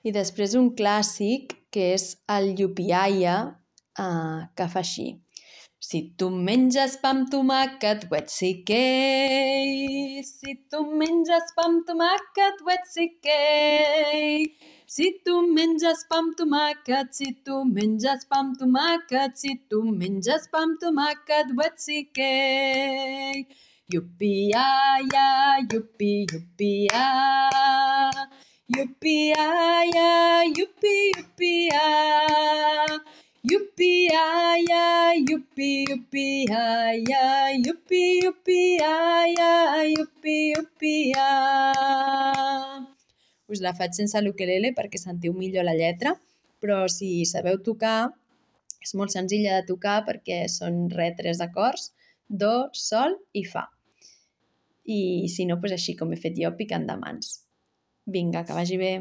I després un clàssic que és el Yupiaia, que fa així. Si tu menges pa amb tomàquet, wetsikei. Si tu menges pa amb tomàquet, wetsikei. Si tu menges pa amb tomàquet, si tu menges pa amb tomàquet, si tu menges pa amb tomàquet, wetsikei. Yupiaia, yupi, yupia. Yupiaia, yupi, yupia. Yupiaia, yupi, yupiaia. Yupi, yupiaia, yupi, yupia. Us la faig sense l'ukelele perquè sentiu millor la lletra, però si sabeu tocar, és molt senzilla de tocar perquè són 3 acords, do, sol i fa. I si no, doncs així com he fet jo, picant de mans. Vinga, que vagi bé.